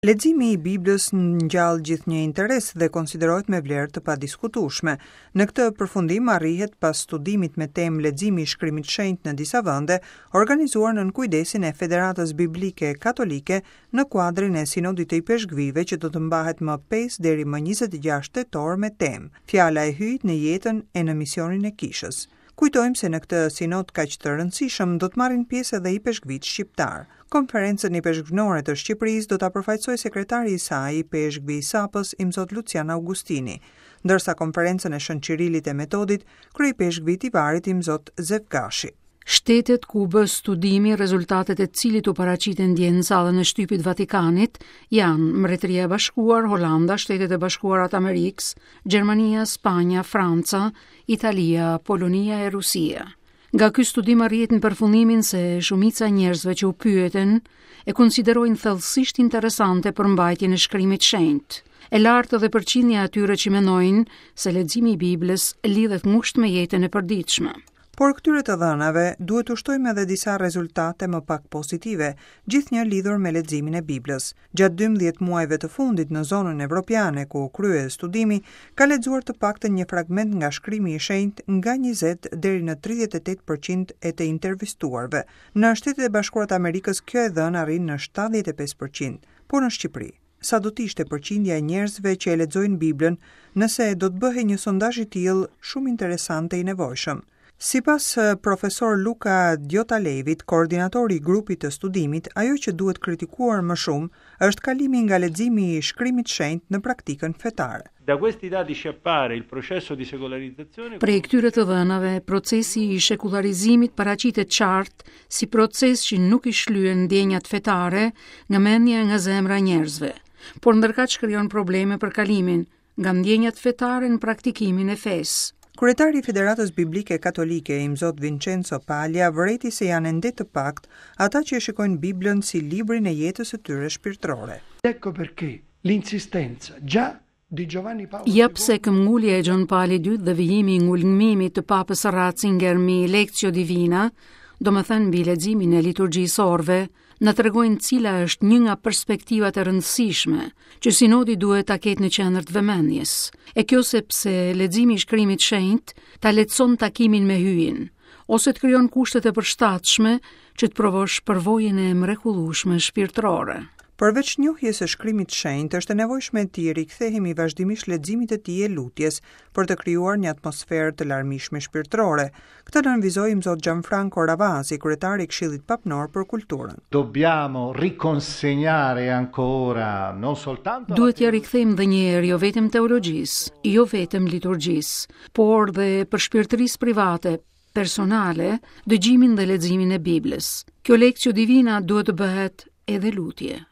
Leximi i Biblës ngjall gjithnjë interes dhe konsiderohet me vlerë të padiskutueshme. Në këtë përfundim arrihet pas studimit me temë Leximi i Shkrimit të Shenjtë në disa vende, organizuar nën kujdesin e Federatës Biblike Katolike në kuadrin e Sinodit të Ipeshkvijve që do të mbahet më 5 deri më 26 tetor me temë Fjala e Hyjit në jetën e në misionin e Kishës. Kujtojmë se në këtë sinod kaq të rëndësishëm do të marrin pjesë edhe ipeshkvijtë shqiptarë. Konferencën Ipeshkvnore të Shqipërisë do ta përfaqësojë sekretari i saj, ipeshkvi i Sapës, Imzot Lucian Augustini, ndërsa Konferencën e Shën Qirilit e Metodit, kryeipeshkvi i Tivarit, Imzot Zef Gashi. Shtetet ku u bë studimi, rezultatet e të cilit u paraqitën dje në sallën e shtypit të Vatikanit, janë Mbretëria e Bashkuar, Holanda, Shtetet e Bashkuara të Amerikës, Gjermania, Spanja, Franca, Italia, Polonia e Rusia. Nga ky studim arrihet në përfundimin se shumica e njerëzve që u pyetën e konsiderojnë thellësisht interesante përmbajtjen e shkrimit të shenjtë. E lartë edhe përqindja e atyre që mendojnë se leximi i Biblës lidhet ngushtë me jetën e përditshme. Por këtyre të dhënave duhet t'u shtojmë edhe disa rezultate më pak pozitive, gjithnjë lidhur me leximin e Biblës. Gjatë 12 muajve të fundit në zonën evropiane ku u krye studimi, ka lexuar të paktën një fragment nga shkrimi i shenjtë nga 20 deri në 38 për qind e të intervistuarve. Në Shtetet e Bashkuara të Amerikës kjo e dhënë arrin në 75 për qind, por në Shqipëri sa do të ishte përqindja e njerëzve që e lexojnë Biblën nëse do të bëhej një sondazh i tillë shumë interesant e i nevojshëm. Sipas profesor Luca Diotalevit, koordinatori i grupit të studimit, ajo që duhet kritikuar më shumë është kalimi nga leximi i shkrimit të shenjtë në praktikën fetare. Da questi dati ci appare il processo di secolarizzazione Prej këtyre të dhënave, procesi i shekullarizimit paraqitet qartë si proces që nuk i shlyen ndjenjat fetare nga mendja e nga zemra e njerëzve, por ndërkaq krijon probleme për kalimin nga ndjenjat fetare në praktikimin e fesë. Kryetari i Federatës Biblike Katolike, Imzot Vincenzo Paglia, vërejti se janë ende të paktë ata që e shikojnë Biblën si librin e jetës së tyre shpirtërore. Ecco perché l'insistenza già di Giovanni Paolo Ja pse këmbëngulja e Gjon Palit II dhe vijimi i ngulmimit të Papës Ratzinger mbi Lectio Divina, domethënë mbi leximin e liturgjisë së orëve, na tregojnë cila është një nga perspektivat e rëndësishme që sinodi duhet ta ketë në qendër të vëmendjes. E kjo sepse leximi i shkrimit të shenjtë ta lehtëson takimin me Hyjin, ose të krijon kushtet e përshtatshme që të provosh përvojën e mrekullueshme shpirtërore. Përveç njohjes së shkrimit të shenjtë, është e nevojshme t'i rikthehemi vazhdimisht leximit të tij e lutjes, për të krijuar një atmosferë të larmishme shpirtërore. Këtë nënvizoi Imzot Gianfranco Ravasi, kryetar i Këshillit Papnor për Kulturën. Dobbiamo riconsegnare ancora non soltanto Duhet t'ia rikthejmë dhe një herë jo vetëm teologjisë, jo vetëm liturgjisë, por dhe përshpirtërisë private, personale, dëgjimin dhe leximin e Biblës. Kjo lectio divina duhet të bëhet edhe lutje.